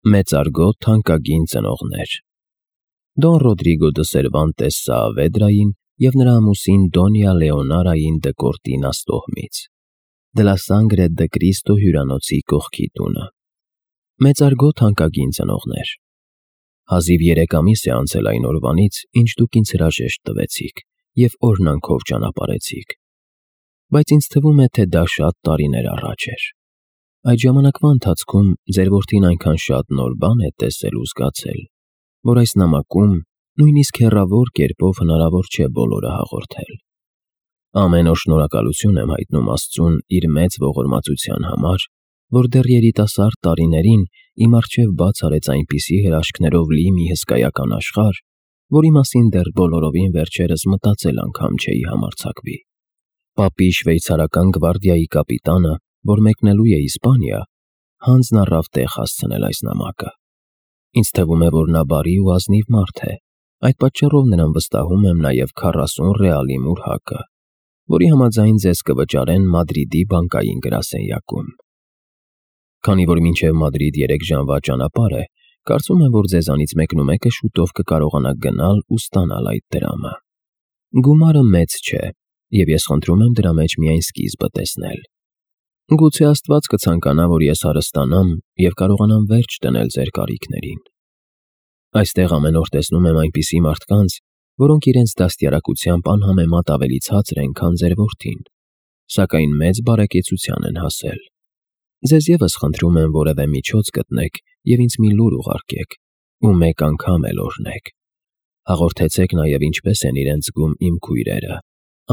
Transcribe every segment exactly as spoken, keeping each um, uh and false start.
Մեծարգո թանկագին ծնողներ Դոն Ռոդրիգո դը Սերվանտես Սաավեդրային և նրա ամուսին Դոնյա Լեոնարային դը Կորտինաս տոհմից, դե լա Սանգրե դը Կրիստո հյուրանոցի կողքի տունը։ Մեծարգո թանկագին ծնողներ, հազիվ երեք ամիս է անցել այն օրվանից, ինչ դուք ինձ հրաժեշտ տվեցիք և օրհնանքով ճանապարհեցիք, բայց ինձ թվում է, թե դա շատ տարիներ առաջ էր։ Այդ ժամանակվա ընթացքում ձեր որդին այնքան շատ նոր բան է տեսել ու զգացել, որ այս նամակում նույնիսկ հեռավոր կերպով հնարավոր չէ բոլորը հաղորդել։ Ամեն օր շնորհակալություն եմ հայտնում Աստծուն իր մեծ ողորմածության համար, որ դեռ երիտասարդ տարիներին իմ առջև բաց արեց այնպիսի հրաշքներով լի մի հսկայական աշխարհ, որի մասին դեռ բոլորովին վերջերս մտածել անգամ չէի համարձակվի։ Պապի շվեյցարական գվարդիայի կապիտանը, որ մեկնելու է Իսպանիա, հանձն առավ տեղ հասցնել այս նամակը։ Ինձ թվում է, որ նա բարի ու ազնիվ մարդ է, այդ պատճառով նրան վստահում եմ նաև քառասուն ռեալի մուրհակը, որի համաձայն ձեզ կվճարեն Մադրիդի բանկային գրասենյակում։ Քանի որ մինչև Մադրիդ երեք ժամվա ճանապարհ է, կարծում եմ, որ ձեզանից մեկնումեկը շուտով կկարողանա գնալ ու ստանալ այդ դրամը։ Գումարը մեծ չէ, և ես խնդրում եմ դրա մեջ միայն սկիզբը տեսնել։ Գուցե Աստված կցանկանա, որ ես հարստանամ և կարողանամ վերջ դնել ձեր կարիքներին։ Այստեղ ամեն օր տեսնում եմ այնպիսի մարդկանց, որոնք իրենց դաստիարակությամբ անհամեմատ ավելի ցածր են, քան ձեր որդին, սակայն մեծ բարեկեցության են հասել։ Ձեզ ևս խնդրում եմ որևէ միջոց գտնեք և ինձ մի լուր ուղարկեք, ու մեկ անգամ էլ օրհնեք։ Հաղորդեցեք նաև ինչպես են իրենց զգում իմ քույրերը՝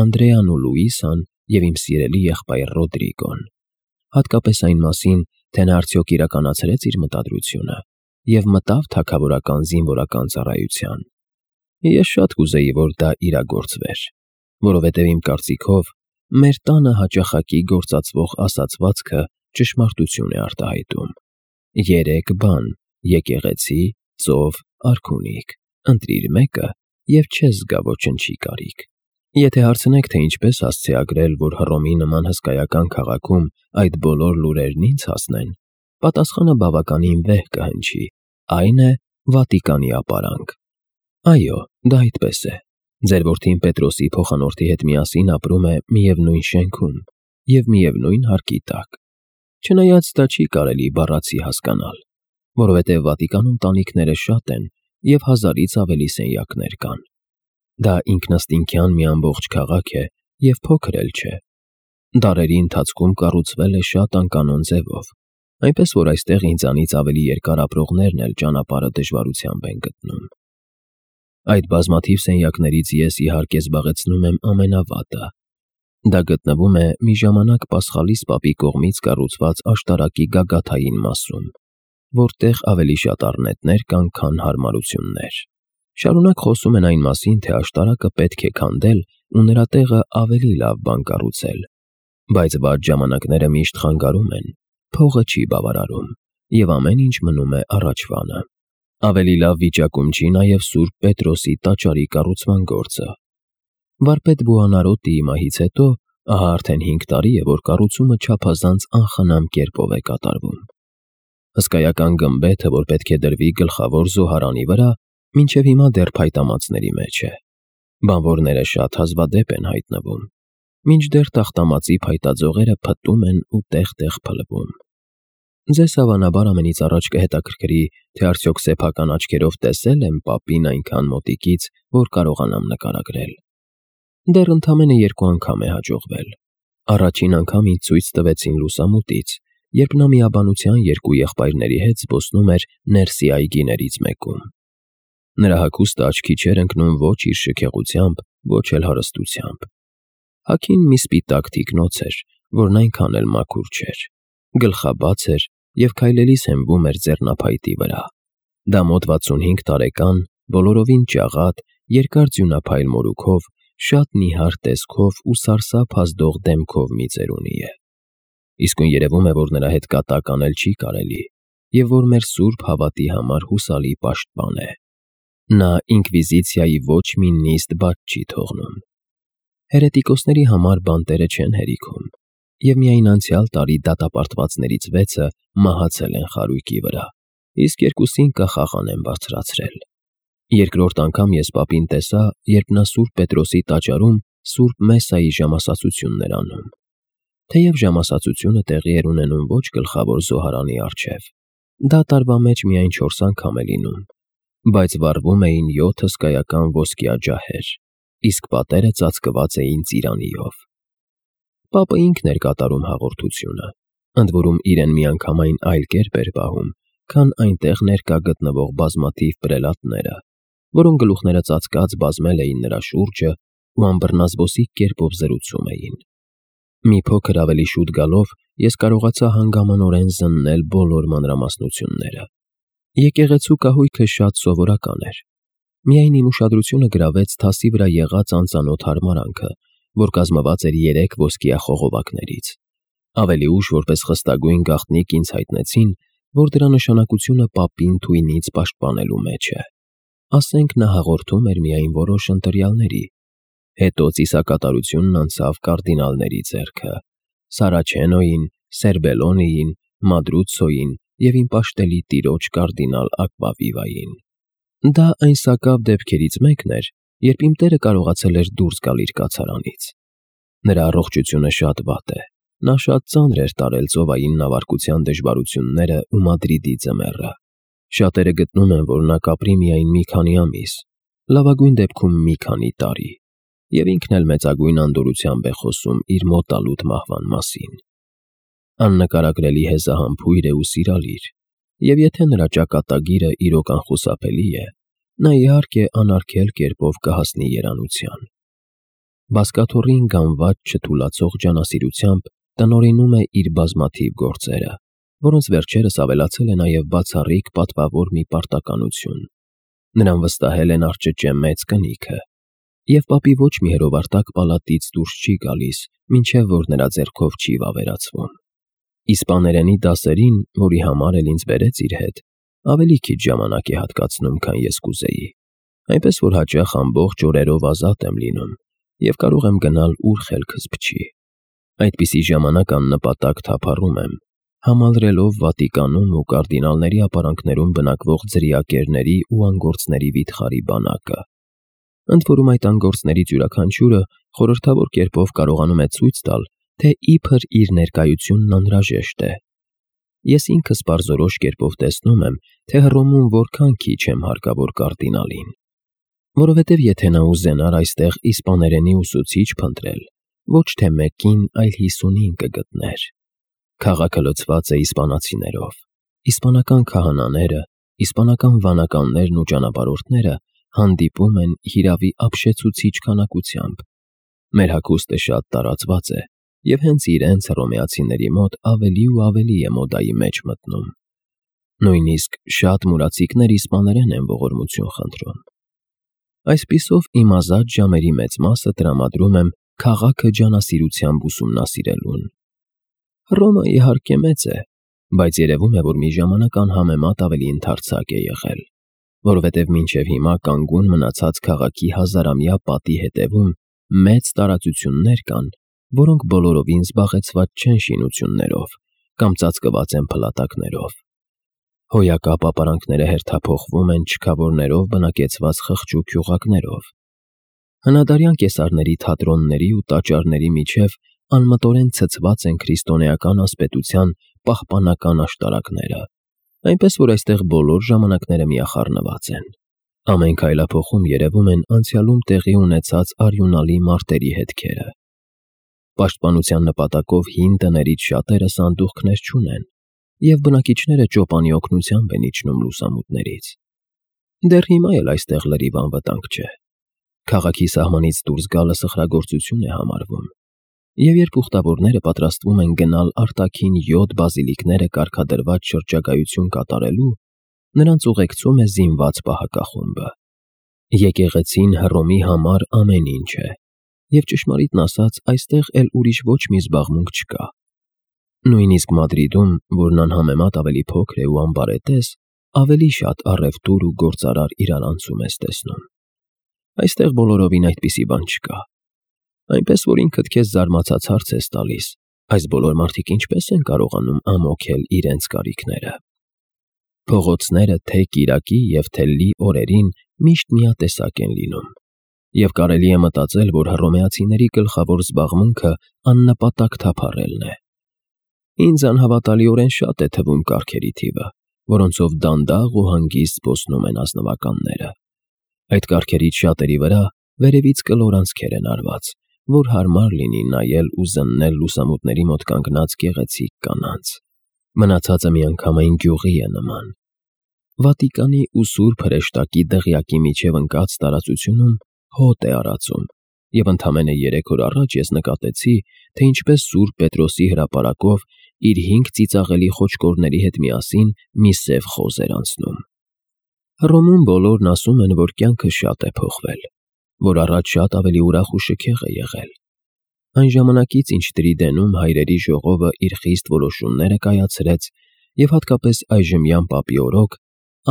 Անդրեան ու Լուիսան և իմ սիրելի եղբայր Ռոդրիգոն, հատկապես այն մասին, թե նա արդյոք իրականացրեց իր մտադրությունը և մտավ թագավորական զինվորական ծառայության։ Ես շատ կուզեի, որ դա իրագործվեր, որովհետև իմ կարծիքով մեր տանը հաճախակի գործածվող ասացվածքը ճշմարտություն է արտահայտում։ Երեք բան՝ եկեղեցի, ծով, արքունիք, ընտրիր մեկը և չես զգա ոչնչի կարիք։ Եթե հարցնեք, թե ինչպես հասցեագրել, որ Հռոմի նման հսկայական քաղաքում այդ բոլոր լուրերն ինձ հասնեն, պատասխանը բավականին վեհ կհնչի, այն է Վատիկանի ապարանք։ Այո, դա այդպես է։ Ձեր որդին Պետրոսի փոխանորդի հետ միասին ապրում է միևնույն շենքում և միևնույն հարկի տակ։ Չնայած դա չի կարելի բառացի հասկանալ, որովհետև Վատիկանում տանիքները շատ են և հազարից ավելի սենյակներ կան։ Դա ինքնըստինքյան մի ամբողջ քաղաք է և փոքր էլ չէ։ Դարերի ընթացքում կառուցվել է շատ անկանոն ձևով, այնպես որ այստեղ ինձանից ավելի երկար ապրողներն էլ ճանապարհը դժվարությամբ են գտնում։ Այդ բազմաթիվ սենյակներից ես իհարկե զբաղեցնում եմ ամենավատը։ Դա գտնվում է մի ժամանակ Պասխալիս պապի կողմից կառուցված աշտարակի գագաթային մասում, որտեղ ավելի շատ առնետներ կան, քան հարմարություններ։ Շարունակ խոսում են այն մասին, թե աշտարակը պետք է քանդել ու նրա տեղը ավելի լավ բան կառուցել, բայց վատ ժամանակները միշտ խանգարում են, փողը չի բավարարում, և ամեն ինչ մնում է առաջվանը։ Ավելի լավ վիճակում չի նաև Սուրբ Պետրոսի տաճարի կառուցման գործը։ Վարպետ Բուոնարոտիի մահից հետո ահա արդեն հինգ տարի է, որ կառուցումը չափազանց անխնամ կերպով է կատարվում։ Հսկայական գմբեթը, որ պետք է դրվի գլխավոր զոհարանի վրա, մինչև հիմա դեռ փայտամածների մեջ է։ Բանվորները շատ հազվադեպ են հայտնվում, մինչդեռ տախտամածի փայտաձողերը փտտում են ու տեղ-տեղ փլվում։ Ձեզ հավանաբար ամենից առաջ կհետաքրքրի, թե արդյոք սեփական աչքերով տեսել եմ պապին այնքան մոտիկից, որ կարողանամ նկարագրել։ Դեռ ընդամենը երկու անգամ է հաջողվել։ Առաջին անգամ ինձ ցույց տվեցին լուսամուտից, երբ նա միաբանության երկու եղբայրների հետ զբոսնում էր ներսի այգիներից մեկում։ Նրա հագուստը աչքի չէր ընկնում ոչ իր շքեղությամբ, ոչ էլ հարստությամբ։ Հագին մի սպիտակ թիկնոց էր, որն այնքան էլ մաքուր չէր, գլխաբաց էր և քայլելիս հենվում էր ձեռնափայտի վրա։ Դա մոտ վաթսունհինգ տարեկան, բոլորովին ճաղատ, երկար ձյունափայլ մորուքով, շատ նիհար տեսքով ու սարսափ ազդող դեմքով մի ծերունի է։ Իսկույն երևում է, որ նրա հետ կատակ անել չի կարելի, և որ մեր սուրբ հավատի համար հուսալի պաշտպան է։ Նա ինկվիզիցիայի ոչ մի նիստ բաց չի թողնում։ Հերետիկոսների համար բանտերը չեն հերիքում, և միայն անցյալ տարի դատապարտվածներից վեցը մահացել են խարույկի վրա, իսկ երկուսին կախաղան են բարձրացրել։ Երկրորդ անգամ ես պապին տեսա, երբ նա Սուրբ Պետրոսի տաճարում Սուրբ Մեսայի ժամասացությունն էր անում։ Թեև ժամասացությունը տեղի էր ունենում ոչ գլխավոր զոհարանի առջև, դա տարվա մեջ միայն չորս անգամ է լինում, բայց վառվում էին յոթ հսկայական ոսկյա ջահեր, իսկ պատերը ծածկված էին ծիրանիով։ Պապը ինքն էր կատարում հաղորդությունը, ընդ որում իրեն միանգամայն այլ կերպ էր պահում, քան այնտեղ ներկա գտնվող բազմաթիվ պրելատները, որոնք գլուխները ծածկած բազմել էին նրա շուրջը ու անբռնազբոսիկ կերպով զրուցում էին։ Մի փոքր ավելի շուտ գալով ես կարողացա հանգամանորեն զննել բոլոր մանրամասնությունները։ Եկեղեցու կահույքը շատ սովորական էր։ Միայն իմ ուշադրությունը գրավեց թասի վրա եղած անծանոթ հարմարանքը, որ կազմված էր երեք ոսկյա խողովակներից։ Ավելի ուշ որպես խստագույն գաղտնիք ինձ հայտնեցին, որ դրա նշանակությունը պապին թույնից պաշտպանելու մեջ է։ Ասենք նա հաղորդում էր միայն որոշ ընտրյալների, հետո ծիսակատարությունն անցավ կարդինալների ձեռքը՝ Սարաչենոյին, Սերբելոնիին, Մադրուցոյին և իմ պաշտելի տիրոջ կարդինալ Ակվավիվային։ Դա այն սակավ դեպքերից մեկն էր, երբ իմ տերը կարողացել էր դուրս գալ իր կացարանից։ Նրա առողջությունը շատ վատ է, նա շատ ծանր էր տարել ծովային նավարկության դժվարությունները ու Մադրիդի ձմեռը։ Շատերը գտնում են, որ նա կապրի միայն մի քանի ամիս, լավագույն դեպքում մի քանի տարի, և ինքն էլ մեծագույն անդորրությամբ է խոսում իր մոտալուտ մահվան մասին։ Աննկարագրելի հեզահամբույր է ու սիրալիր, և եթե նրա ճակատագիրը իրոք անխուսափելի է, նա իհարկե անարգել կերպով կհասնի երանության։ Բազկաթոռին գանված չթուլացող ջանասիրությամբ տնօրինում է իր բազմաթիվ գործերը, որոնց վերջերս ավելացել է նաև բացառիկ պատվավոր մի պարտականություն։ Նրան վստահել են արճճե մեծ կնիքը, և պապի ոչ մի հրովարտակ պալատից դուրս չի գալիս, մինչև որ նրա ձեռքով չի վավերացվում։ Իսպաներենի դասերին, որի համար էլ ինձ բերեց իր հետ, ավելի քիչ ժամանակ է հատկացնում, քան ես կուզեի, այնպես որ հաճախ ամբողջ օրերով ազատ եմ լինում և կարող եմ գնալ, ուր խելքս փչի։ Այդպիսի ժամանակ աննպատակ թափառում եմ, համալրելով Վատիկանում ու կարդինալների ապարանքներում բնակվող ձրիակերների ու անգործների վիթխարի բանակը։ Ընդ որում այդ անգործներից յուրաքանչյուրը խորհրդավոր կերպով կարողանում է ցույց տալ, թե իբր իր ներկայությունն անհրաժեշտ է։ Ես ինքս պարզորոշ կերպով տեսնում եմ, թե Հռոմում որքան քիչ եմ հարկավոր կարդինալին, որովհետև եթե նա ուզենար այստեղ իսպաներենի ուսուցիչ փնտրել, ոչ թե մեկին, այլ հիսունին կգտներ։ Քաղաքը լցված է իսպանացիներով, իսպանական քահանաները, իսպանական վանականներն ու ճանապարհորդները հանդիպում են հիրավի ապշեցուցիչ քանակությամբ։ Մեր հագուստը շատ տարածված է, և հենց իրենց հռոմեացիների մոտ ավելի ու ավելի է մոդայի մեջ մտնում։ Նույնիսկ շատ մուրացիկներ իսպաներեն են ողորմություն խնդրում։ Այսպիսով իմ ազատ ժամերի մեծ մասը տրամադրում եմ քաղաքը ջանասիրությամբ ուսումնասիրելուն։ Հռոմը իհարկե մեծ է, բայց երևում է, որ մի ժամանակ անհամեմատ ավելի ընդարձակ է եղել, որովհետև մինչև հիմա կանգուն մնացած քաղաքի հազարամյա պատի հետևում մեծ տարածություններ կան, որոնք բոլորովին զբաղեցված չեն շինություններով կամ ծածկված են փլատակներով։ Հոյակապ ապարանքները հերթափոխվում են չքավորներով բնակեցված խղճուկ գյուղակներով։ Հնադարյան կեսարների թատրոնների ու տաճարների միջև անմտորեն ցցված են քրիստոնեական ասպետության պահպանական աշտարակները, այնպես որ այստեղ բոլոր ժամանակները միախառնված են։ Ամեն քայլափոխում երևում են անցյալում տեղի ունեցած արյունալի մարտերի հետքերը։ Պաշտպանության նպատակով հին տներից շատերը սանդուղքներ չունեն, և բնակիչները ճոպանի օգնությամբ են իջնում լուսամուտներից։ Դեռ հիմա էլ այստեղ լրիվ անվտանգ չէ։ Քաղաքի սահմանից դուրս գալը սխրագործություն է համարվում, և երբ ուխտավորները պատրաստվում են գնալ արտաքին յոթ բազիլիկները կարգադրված շրջագայություն կատարելու, նրանց ուղեկցում է զինված պահակախումբը։ Եկեղեցին Հռոմի համար ամեն ինչ է, և ճշմարիտն ասած, այստեղ էլ ուրիշ ոչ մի զբաղմունք չկա։ Նույնիսկ Մադրիդում, որն անհամեմատ ավելի փոքր է ու անբարետես, ավելի շատ առևտուր ու գործարար իրարանցում ես տեսնում։ Այստեղ բոլորովին այդպիսի բան չկա։ Այնպես որ ինքդ քեզ զարմացած հարց ես տալիս. այս բոլոր մարդիկ ինչպես են կարողանում ամոթել իրենց կարիքները։ Փողոցները թե կիրակի և թե լի օրերին միշտ միատեսակ են լինում, և կարելի է մտածել, որ հռոմեացիների գլխավոր զբաղմունքը աննպատակ թափառելն է։ Ինձ անհավատալիորեն շատ է թվում կառքերի թիվը, որոնցով դանդաղ ու հանգիստ զբոսնում են ազնվականները։ Այդ կառքերից շատերի վրա վերևից կլոր անցքեր են արված, որ հարմար լինի նայել ու զննել լուսամուտների մոտ կանգնած գեղեցիկ կանանց։ Մնացածը միանգամայն գյուղի է նման։ Վատիկանի ու Սուրբ Հրեշտակի դղյակի միջև ընկած տարածությունում հոտ է արածում, և ընդամենը երեք օր առաջ ես նկատեցի, թե ինչպես Սուրբ Պետրոսի հրապարակով իր հինգ ծիծաղելի խոչկորների հետ միասին մի սև խոզ էր անցնում։ Հռոմում բոլորն ասում են, որ կյանքը շատ է փոխվել, որ առաջ շատ ավելի ուրախ ու շքեղ է եղել։ Այն ժամանակից, ինչ Տրիդենում հայրերի ժողովը իր խիստ որոշումները կայացրեց, և հատկապես այժմյան պապի օրոք,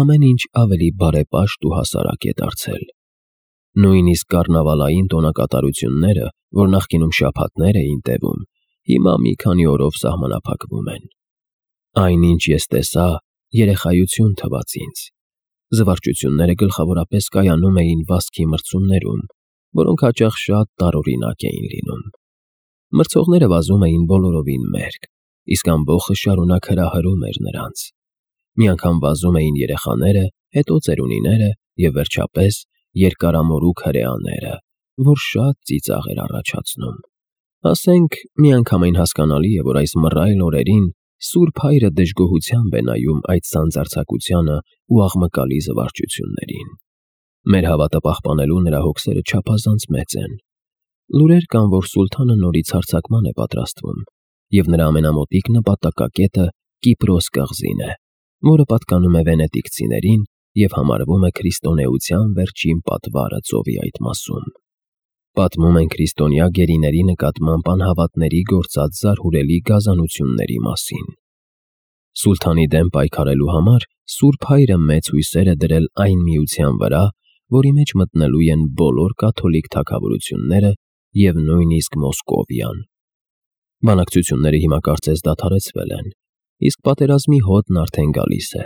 ամեն ինչ ավելի բարեպաշտ ու հասարակ է դարձել։ Նույնիսկ կառնավալային տոնակատարությունները, որ նախկինում շաբաթներ էին տևում, հիմա մի քանի օրով սահմանափակվում են։ Այն, ինչ ես տեսա, երեխայություն թվաց ինձ։ Զվարճությունները գլխավորապես կայանում էին վազքի մրցումներում, որոնք հաճախ շատ տարօրինակ էին լինում։ Մրցողները վազում էին բոլորովին մերկ, իսկ ամբոխը շարունակ հրահրում էր նրանց։ Մի անգամ վազում էին երեխաները, հետո ծերունիները և վերջապես երկարամորուք հրեաները, որ շատ ծիծաղ էր առաջացնում։ Ասենք, միանգամայն հասկանալի է, որ այս մռայլ օրերին Սուրբ Հայրը դժգոհությամբ է նայում այդ սանձարձակությանը ու աղմկալի զվարճություններին։ Մեր հավատը պահպանելու նրա հոգսերը չափազանց մեծ են։ Լուրեր կան, որ սուլթանը նորից հարձակման է պատրաստվում, և նրա ամենամոտիկ նպատակակետը Կիպրոս կղզին է, որը պատկանում է վենետիկցիներին և համարվում է քրիստոնեության վերջին պատվարը ծովի այդ մասում։ Պատմում են քրիստոնյա գերիների նկատմամբ անհավատների գործած զարհուրելի գազանությունների մասին։ Սուլթանի դեմ պայքարելու համար Սուրբ Հայրը մեծ հույսեր է դրել այն միության վրա, որի մեջ մտնելու են բոլոր կաթոլիկ թագավորությունները և նույնիսկ Մոսկովիան։ Բանակցությունները հիմա կարծես դադարեցվել են, իսկ պատերազմի հոտն արդեն գալիս է,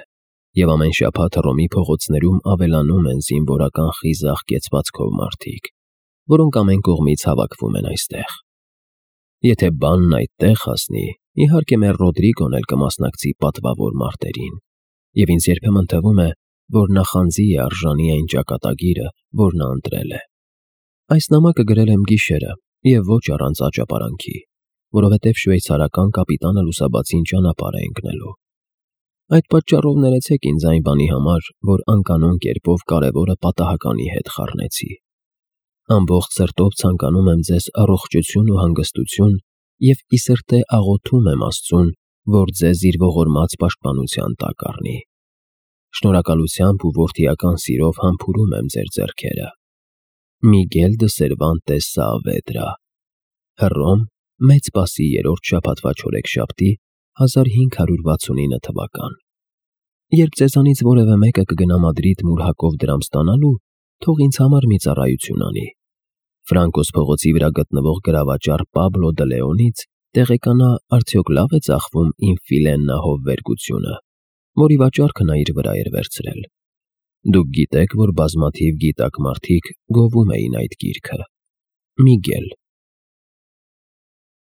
և ամեն շաբաթ Հռոմի փողոցներում ավելանում են զինվորական խիզախ կեցվածքով մարդիկ, որոնք ամեն կողմից հավաքվում են այստեղ։ Եթե բանն այդտեղ հասնի, իհարկե մեր Ռոդրիգոն էլ կմասնակցի պատվավոր մարտերին, և ինձ երբեմն թվում է, որ նախանձի է արժանի այն ճակատագիրը, որ նա ընտրել է։ Այս նամակը գրել եմ գիշերը և ոչ առանց աճապարանքի, որովհետև շվեյցարական կապիտանը լուսաբացին ճանապարհ է ընկնելու։ Այդ պատճառով ներեցեք ինձ այն բանի համար, որ անկանոն կերպով կարևորը պատահականի հետ խառնեցի։ Ամբողջ սրտով ցանկանում եմ ձեզ առողջություն ու հանգստություն և ի սրտե աղոթում եմ Աստծուն, որ ձեզ իր ողորմած պաշտպանության տակ առնի։ Շնորհակալությամբ ու որդիական սիրով համբուրում եմ ձեր ձեռքերը։ Միգել դը Սերվանտես Սaavedra, Հռոմ, Մեծ Սպասի երրորդ շաբաթվա չորեքշաբթի, հազար հինգ հարյուր վաթսունինը թվական։ Երբ ձեզանից որևէ մեկը կգնա Մադրիդ մուրհակով դրամ ստանալու, թող ինձ համար մի ծառայություն անի։ Ֆրանկոս փողոցի վրա գտնվող գրավաճառ Պաբլո դը Լեոնից տեղեկանա արդյոք լավ է ծախվում իմ Ֆիլեննա հովվերգությունը, որի վաճառքը նա իր վրա էր վերցրել։ Դուք գիտեք, որ բազմաթիվ գիտակ մարդիկ գովում էին այդ գիրքը։ Միգել։